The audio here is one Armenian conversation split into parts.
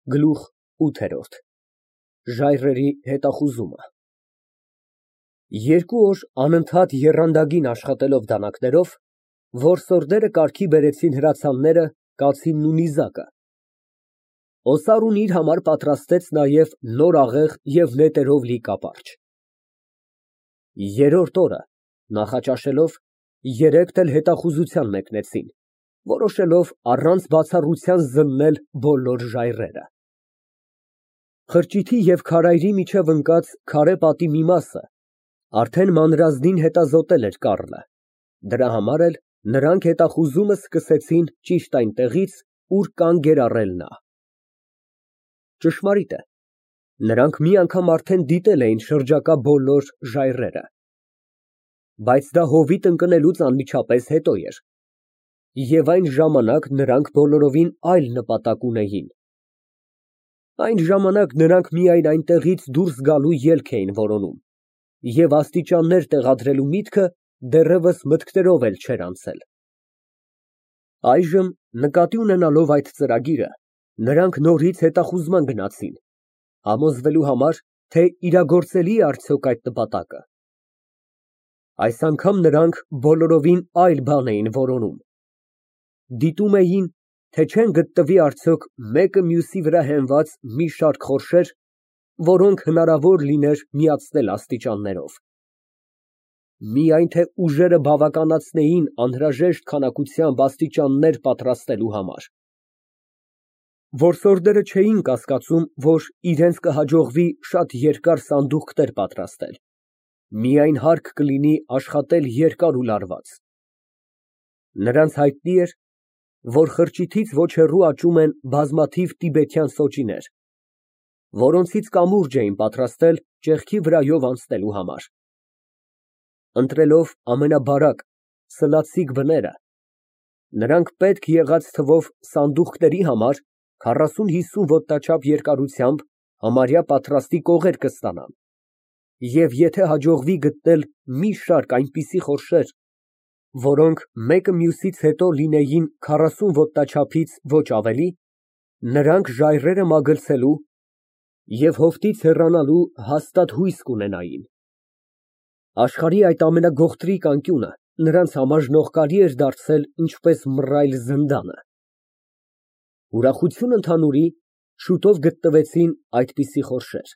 Գլուխ ՈՒԹԵՐՈՐԴ Ժայռերի հետախուզումը։ Երկու օր անընդհատ եռանդագին աշխատելով դանակներով, որսորդները կարգի բերեցին հրացանները, կացինն ու նիզակը։ Օսարուն իր համար պատրաստեց նաև նոր աղեղ և նետերով լի կապարճ։ Երրորդ օրը նախաճաշելով, երեքն էլ հետախուզության մեկնեցին, որոշելով առանց բացառության զննել բոլոր ժայռերը։ Խրճիթի և քարայրի միջև ընկած քարե պատի մի մասը արդեն մանրազնին հետազոտել էր Կառլը, դրա համար էլ նրանք հետախուզումը սկսեցին ճիշտ այնտեղից, ուր կանգ էր առել նա։ Ճշմարիտ է, նրանք մի անգամ արդեն դիտել էին շրջակա բոլոր ժայռերը, բայց դա հովիտ ընկնելուց անմիջապես հետո էր, և այն ժամանակ նրանք բոլորովին այլ նպատակ ունեին։ Այն ժամանակ նրանք միայն այնտեղից դուրս գալու ելք էին որոնում և աստիճաններ տեղադրելու միտքը դեռևս մտքներով էլ չէր անցել։ Այժմ, նկատի ունենալով այդ ծրագիրը, նրանք նորից հետախուզման գնացին, համոզվելու համար, թե իրագործելի է արդյոք այդ նպատակը։ Այս անգամ նրանք բոլորովին այլ բան էին որոնում։ Դիտում էին, թե չեն գտնվի արդյոք մեկը մյուսի վրա հենված մի շարք խորշեր, որոնք հնարավոր լիներ միացնել աստիճաններով։ Միայն թե ուժերը բավականացնեին անհրաժեշտ քանակությամբ աստիճաններ պատրաստելու համար։ Որսորդները չէին կասկածում, որ իրենց կհաջողվի շատ երկար սանդուղքներ պատրաստել, միայն հարկ կլինի աշխատել երկար ու լարված։ Նրանց հայտնի էր, որ խրճիթից ոչ հեռու աճում են բազմաթիվ տիբեթյան սոճիներ, որոնցից կամուրջ էին պատրաստել ճեղքի վրայով անցնելու համար։ Ընտրելով ամենաբարակ, սլացիկ բները, նրանք պետք եղած թվով սանդուղքների համար 40-50 ոտնաչափ երկարությամբ համարյա պատրաստի կողեր կստանան, և եթե հաջողվի գտնել մի շարք այնպիսի խորշեր, որոնք մեկը մյուսից հետո լինեին 40 ոտնաչափից ոչ ավելի, նրանք ժայռերը մագլցելու և հովտից հեռանալու հաստատ հույս կունենային։ Աշխարհի այդ ամենագողտրիկ անկյունը նրանց համար ժնողկալի էր դարձել ինչպես մռայլ զնդանը։ Ուրախություն ընդհանուրի, շուտով գտնվեցին այդպիսի խորշեր։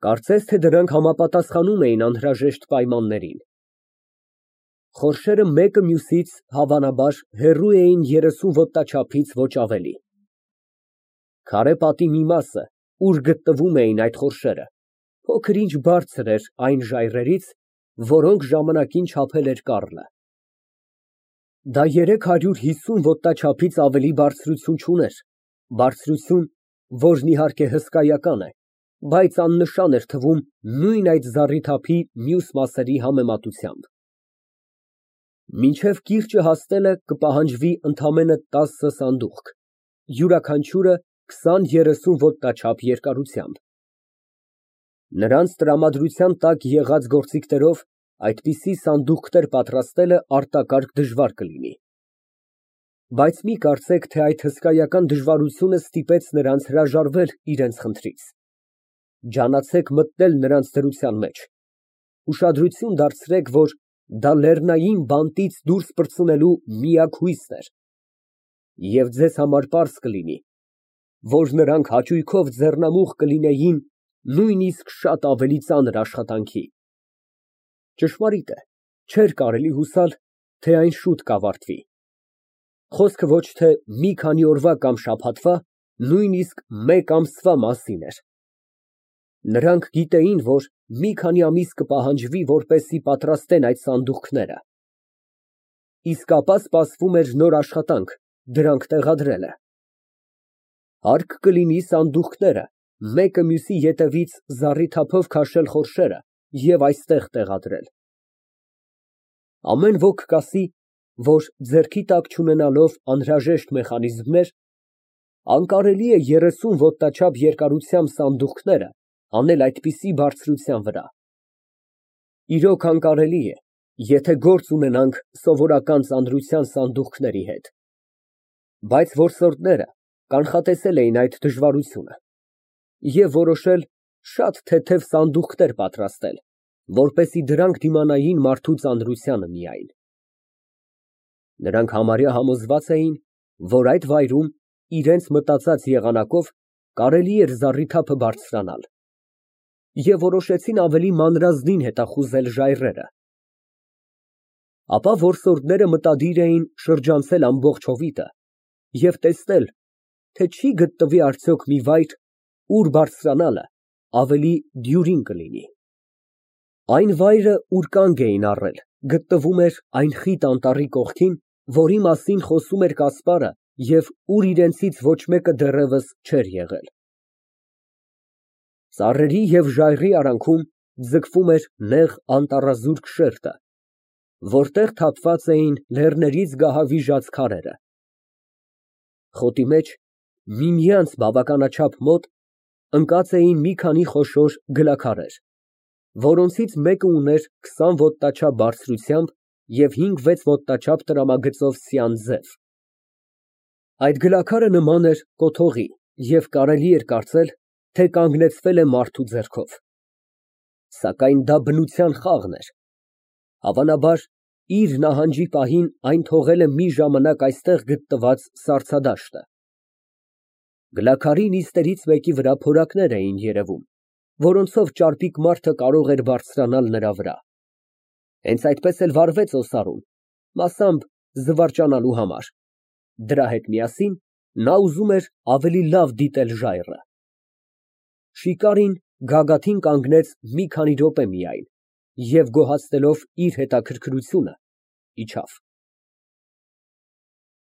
Կարծես թե դրանք համապատասխանում էին անհրաժեշտ պայմաններին։ Խորշերը մեկը մյուսից, հավանաբար, հեռու էին 30 ոտնաչափից ոչ ավելի։ Քարե պատի մի մասը, ուր գտնվում էին այդ խորշերը, փոքր֊ինչ բարձր էր այն ժայռերից, որոնք ժամանակին չափել էր Կառլը։ Դա 350 ոտնաչափից ավելի բարձրություն չուներ, բարձրություն, որն իհարկե հսկայական է, բայց աննշան էր թվում նույն այդ զառիթափի մյուս մասերի համեմատությամբ։ Մինչև կիրճը հասնելը կպահանջվի ընդամենը 10 սանդուղք, յուրաքանչյուրը 20-30 ոտնաչափ երկարությամբ։ Նրանց տրամադրության տակ եղած գործիքներով այդպիսի սանդուղքներ պատրաստելը արտակարգ դժվար կլինի։ Բայց մի կարծեք, թե այդ հսկայական դժվարությունը ստիպեց նրանց հրաժարվել իրենց խնդրից։ Ջանացեք մտնել նրանց դրության մեջ, ուշադրություն դարձրեք, որ դա լեռնային բանտից դուրս պրծնելու միակ հույսն էր, և ձեզ համար պարզ կլինի, որ նրանք հաճույքով ձեռնամուխ կլինեին նույնիսկ շատ ավելի ծանր աշխատանքի։ Ճշմարիտ է, չէր կարելի հուսալ, թե այն շուտ կավարտվի։ Խոսքը ոչ թե մի քանի օրվա կամ շաբաթվա, նույնիսկ մեկ ամսվա մասին էր։ Նրանք գիտեին, որ մի քանի ամիս կպահանջվի, որպեսզի պատրաստեն այդ սանդուղքները։ Իսկ ապա սպասվում էր նոր աշխատանք՝ դրանք տեղադրելը։ Հարկ կլինի սանդուղքները մեկը մյուսի ետևից զառիթափով քաշել խորշերը և այստեղ տեղադրել։ Ամեն ոք կասի, որ ձեռքի տակ չունենալով անհրաժեշտ մեխանիզմներ, անկարելի է 30 ոտնաչափ երկարությամբ սանդուղքները հանել այդպիսի բարձրության վրա։ Իրոք անկարելի է, եթե գործ ունենանք սովորական ծանրության սանդուղքների հետ։ Բայց որսորդները կանխատեսել էին այդ դժվարությունը և որոշել շատ թեթև սանդուղքներ պատրաստել, որպեսզի դրանք դիմանային մարդու ծանրությանը միայն։ Նրանք համարյա համոզված էին, որ այդ վայրում իրենց մտածած եղանակով կարելի էր զառիթափը բարձրանալ, և որոշեցին ավելի մանրազնին հետախուզել ժայռերը։ Ապա որսորդները մտադիր էին շրջանցել ամբողջ հովիտը և տեսնել, թե չի գտնվի արդյոք մի վայր, ուր բարձրանալը ավելի դյուրին կլինի։ Այն վայրը, ուր կանգ էին առել, գտնվում էր այն խիտ անտառի կողքին, որի մասին խոսում էր Կասպարը և ուր իրենցից ոչ մեկը դեռևս չէր եղել։ Ծառերի և ժայռի արանքում ձգվում էր նեղ անտառազուրկ շերտը, որտեղ թափված էին լեռներից գահավիժած քարերը։ Խոտի մեջ, միմյանց բավականաչափ մոտ, ընկած էին մի քանի խոշոր գլաքարեր, որոնցից մեկը ուներ 20 ոտնաչափ բարձրությամբ և 5-6 ոտնաչափ տրամագծով սյան ձև։ Այդ գլաքարը նման էր կոթողի և կարելի էր կարծել, թե կանգնեցվել է մարդու ձեռքով։ Սակայն դա բնության խաղն էր, հավանաբար, իր նահանջի պահին այն թողել է մի ժամանակ այստեղ գտնված սառցադաշտը։ Գլաքարի նիստերից մեկի վրա փորակներ էին երևում, որոնցով ճարպիկ մարդը կարող էր բարձրանալ նրա վրա։ Հենց այդպես էլ վարվեց օսարուն, մասամբ զվարճանալու համար։ Դրա հետ միասին նա ուզում էր ավելի լավ դիտել ժայռը։ Շիկարին գագաթին կանգնեց մի քանի րոպե միայն և գոհացնելով իր հետաքրքրությունը, իջավ։